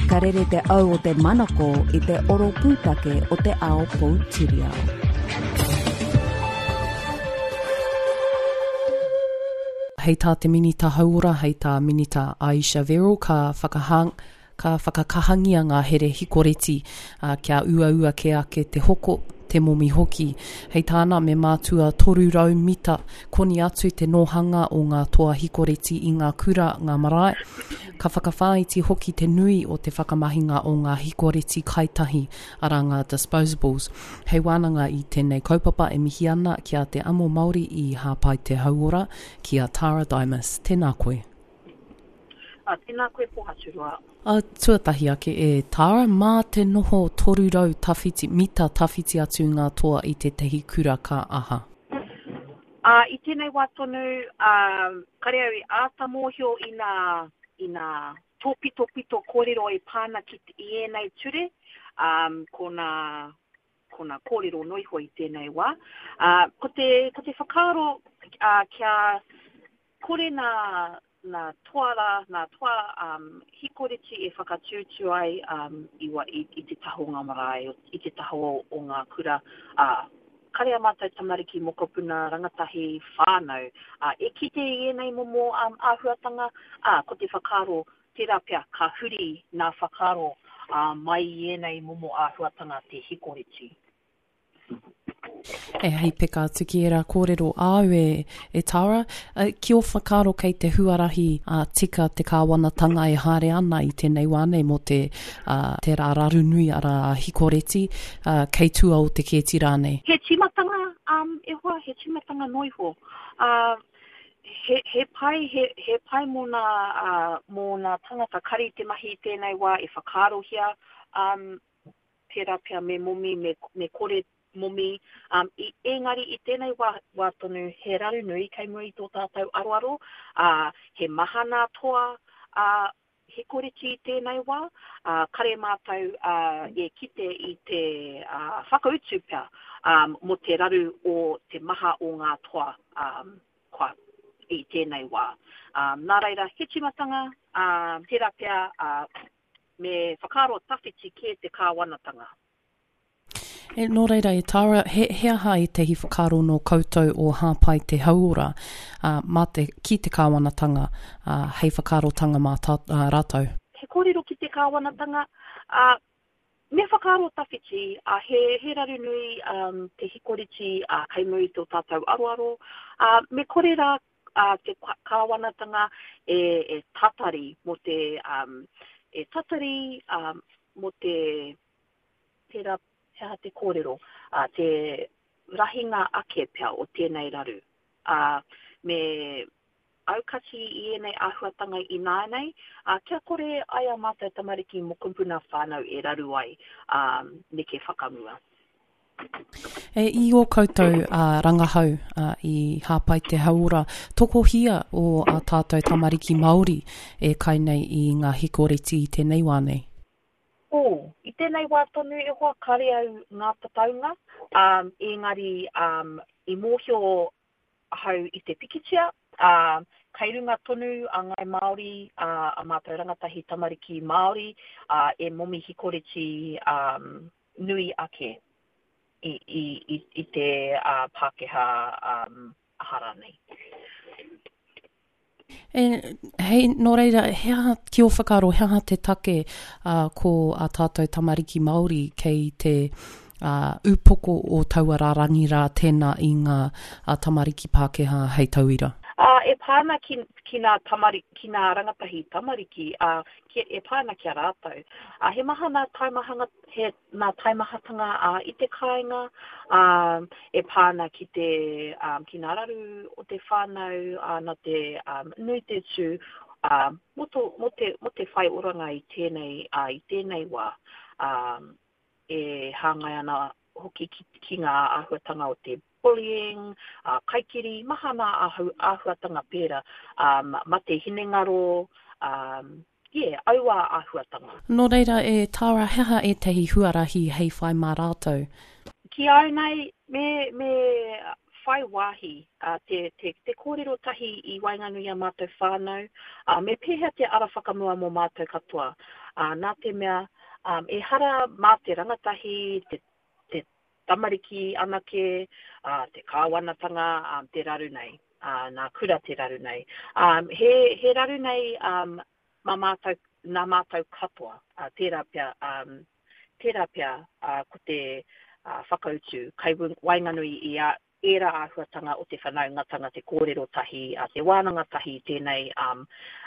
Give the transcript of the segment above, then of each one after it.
Ka rere te au o te manako i te oro pūtake o te ao poutiriao. Hei tā te Minita Hauora, hei tā Minita Ayesha Verrall, ka whakahang, ka whakakahangia ngā here hikoreti, ā, kia uaua kē ake te hoko, te momi hoki. Hei tāna, me mātua 300 mita koni atu te nōhanga o ngā toa hikoreti i ngā kura, ngā marae. Ka whakawhāiti hoki te nui o te whakamahinga o ngā hikoreti kaitahi, arā ngā disposables. Hei wānanga i tēnei kaupapa e mihi ana ki a Te Amo Māori i Hāpai Te Hauora, ki a Tara Dimas. Tēnā koe. Ā, tēnā koe Pohaturoa. Ā, tuatahi ake e Tara, mā te noho 300 tawhiti, mita tawhiti atu ngā toa i tētahi kura ka aha? Ā, i tēnei wā tonu, ā, kare au i āta mōhio i nā, i nā tōpitopito kōrero e pā ana ki, i ēnei ture, ā, ko nā, ko nā kōrero noiho i tēnei wā. Ā, ko te, ko te whakaaro, ā, kia Kore nā, nā toa rā, nā toa um, hikoreti e whakatūtū ai um, i, wa, i, i te taha o ngā marae, i te taha o, o ngā kura, ā, kare a mātou tamariki, mokopuna, rangatahi, whānau, ā, e kite i ēnei momo um, āhuatanga, ā, ko te whakaaro, tērā pea ka huri nā whakaaro ā, mai i ēnei momo āhuatanga te hikoreti. E hei peka atu ki ērā kōrero āu e, e Tara, ki ō whakaaro kei te huarahi a tika te kāwanatanga e haere ana i tēnei wā nei mō te, uh, te rā raru nui arā a Hikoreti, uh, kei tua o te kēti rānei? He tīmatanga, um, e hoa, he tīmatanga noa iho. Uh, he, he pai, he, he pai mō nā, uh, mō nā tangata kari te mahi i tēnei wā e whakaarohia, um, tērā pea me momi, me, me kore momi, um, i, engari i tēnei wā, wā tonu he raru nui kei mua i tō tātou aroaro, ā, he maha nā toa, ā, he koreti i tēnei wā, ā, kare mātou, ā, e kite i te, ā, whakautu pea, ā, mō te raru o te maha o ngā toa, ā, kua, i tēnei wā. Ā, nā reira, he tīmatanga, ā, tērā pea, ā, Me whakaaro tawhiti kē te kāwanatanga. E, nō reira e Tara, he, he aha ētahi whakaaro nō koutou o Hāpai Te Hauora, ā, mā te, ki te kāwanatanga, ā, hei whakaarotanga mā tā, ā, rātou? He kōrero ki te kāwanatanga, ā, me whakaaro tawhiti, ā, he, he raru nui, ā, te hikoriti, ā, kei mua i tō tātou aroaro, ā, me kore rā a te kāwanatanga e, e tatari mō te, um, e tatari um, mō te, tērā, he aha te kōrero, uh, te rahinga ake pea o tēnei raru. Uh, me aukati i ēnei āhuatanga ināianei, uh, kia kore ai a mātou tamariki mokopuna whānau e raru ai, um, neke whakamua. E, i ō koutou uh, rangahau uh, i Hāpai Te Hauora, tokohia o ā tātou tamariki Māori e kai nei i ngā hikoreti i tēnei wā nei? Oh, i tēnei wā tonu e hoa kare au ngā tataunga, um, engari um, i mōhio ahau i te pikitia, ā, kei runga tonu a Ngāi Māori, ā, a mātou rangatahi tamariki Māori, ā, e momi hikoreti, ā, nui ake i, i, i, i te ā, Pākehā, ā, aha rānei. E, hei, nō reira, he aha, ki ō whakaaro, he aha te take ā, ko ā tātou tamariki Māori kei te ā, upoko o taua rārangi rā tēnā i ngā ā, tamariki Pākehā hei tauira? Ā, e pā ana ki, ki nā tamari, ki nā rangatahi tamariki, ā, ki, e pā ana ki a rātou. Ā, he maha nā taimahanga, he nā taimahatanga ā, i te kāinga, ā, e pā ana ki te, ā, ki nā raru o te whānau, ā, nā te, ā, nui te tū, ā, mō tō, mō te, mō te whai oranga i tēnei, ā, i tēnei wā, ā, e hāngai ana hoki ki, ki ngā āhuatanga o te bullying, ā, kaikiri, maha nā āhuatanga pērā, ā, mate hinengaro, ā, yeah, aua āhuatanga. Nō reira, e Tara, he aha ētahi huarahi hei whai mā rātou? Ki au nei, me, me. whai wāhi, ā, te, te, te kōrero tahi i waenganui i a mātou whānau, ā, me pēhea te ara whakamua mō mātou katoa. Ā, nā te mea, ā, ehara mā te rangatahi, te, te tamariki anake, ā, te kāwanatanga, ā, te raru nei, ā, nā kura te raru nei. Ā, he, he raru nei, ā, mā mātou, nā mātou katoa, ā, tērā pea, ā, tērā pea, ā, ko te, ā, whakautu kai waenganui i a, ērā āhuatanga o te whanaungatanga, te kōrero tahi, ā, te wānanga tahi i tēnei, ā,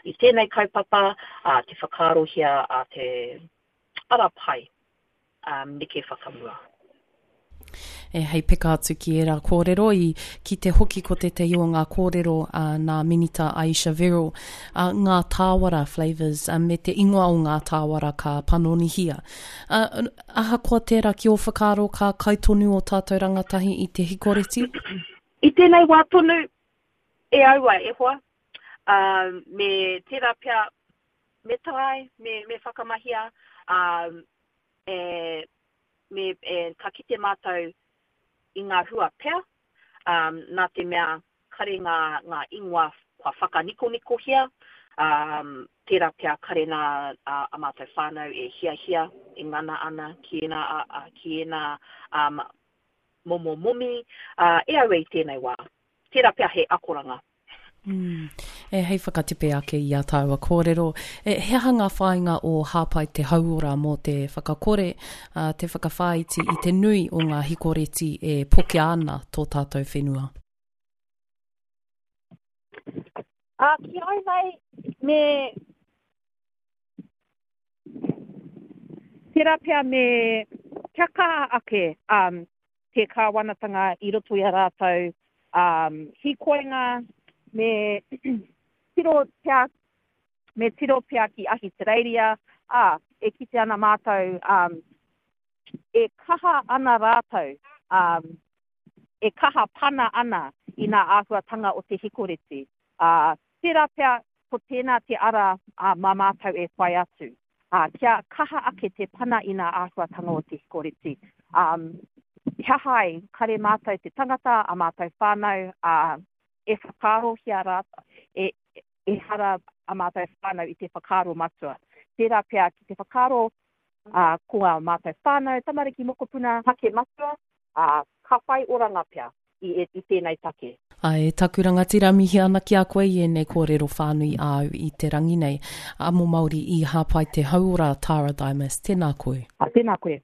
i tēnei kaupapa, ā, te whakaarohia, ā, te ara pai, ā, neke whakamua. E, hei peka atu ki ērā kōrero, i kite hoki ko tētahi o ngā kōrero a nā Minita Ayesha Verrall, a, ngā tāwara flavours, a, me te ingoa o ngā tāwara ka panonihia. A, ahakoa tērā ki ō whakaaro ka kai tonu ō tātou rangatahi i te hikoreti? I tēnei wā tonu, e aua e hoa, ā, me tērā pea, me tae, me, me whakamahia, ā, e, me, e, ka kite mātou i ngā hua pea, ā, nā te mea kare ngā, ngā ingoa kua whakanikonikohia, ā, tērā pea kare nā ā, a mātou whānau e hiahia, e ngana ana ki ēnā, ā, ā, ki ēnā, ā, momo momi, ā, e aue i tēnei wā. Tērā pea he akoranga. Mm. E, hei whakatepe ake i a tāua kōrero, e, he aha ngā whāinga o Hāpai te Hauora mō te whakakore, a, te whakawhāiti i te nui o ngā hikoreti e pokea ana tō tātou whenua? Ā, ki au nei, me, tērā pea me, kia kaha ake, um, te kāwanatanga i roto i a rātou hīkoinga me tiro pea, me tiro pea ki Ahitereiria, ā, e kite ana mātou e kaha ana rātou, e kaha pana ana i nā āhuatanga o te hikoreti. Ā, tērā pea ko tēnā te ara mā mātou e whai atu. Ā, kia kaha ake te pana i nā āhuatanga o te hikoreti. Ā, he aha ai, kare mātou te tangata, a mātou whānau, ā, e whakaarohia rā, e, ehara a mātou whānau i te whakaaro matua. Tērā pea ki te whakaaro, ā, ko ā mātou whānau, tamariki, mokopuna, take matua, ā, ka whai oranga pea i, i tēnei take. Ae, taku rangatira, mihi ana ki a koe i ēnei kōrero whānui āu i te rangi nei. Amo Māori i hāpai te hauora, Tara Dimas, tēnā koe. Tēnā koe.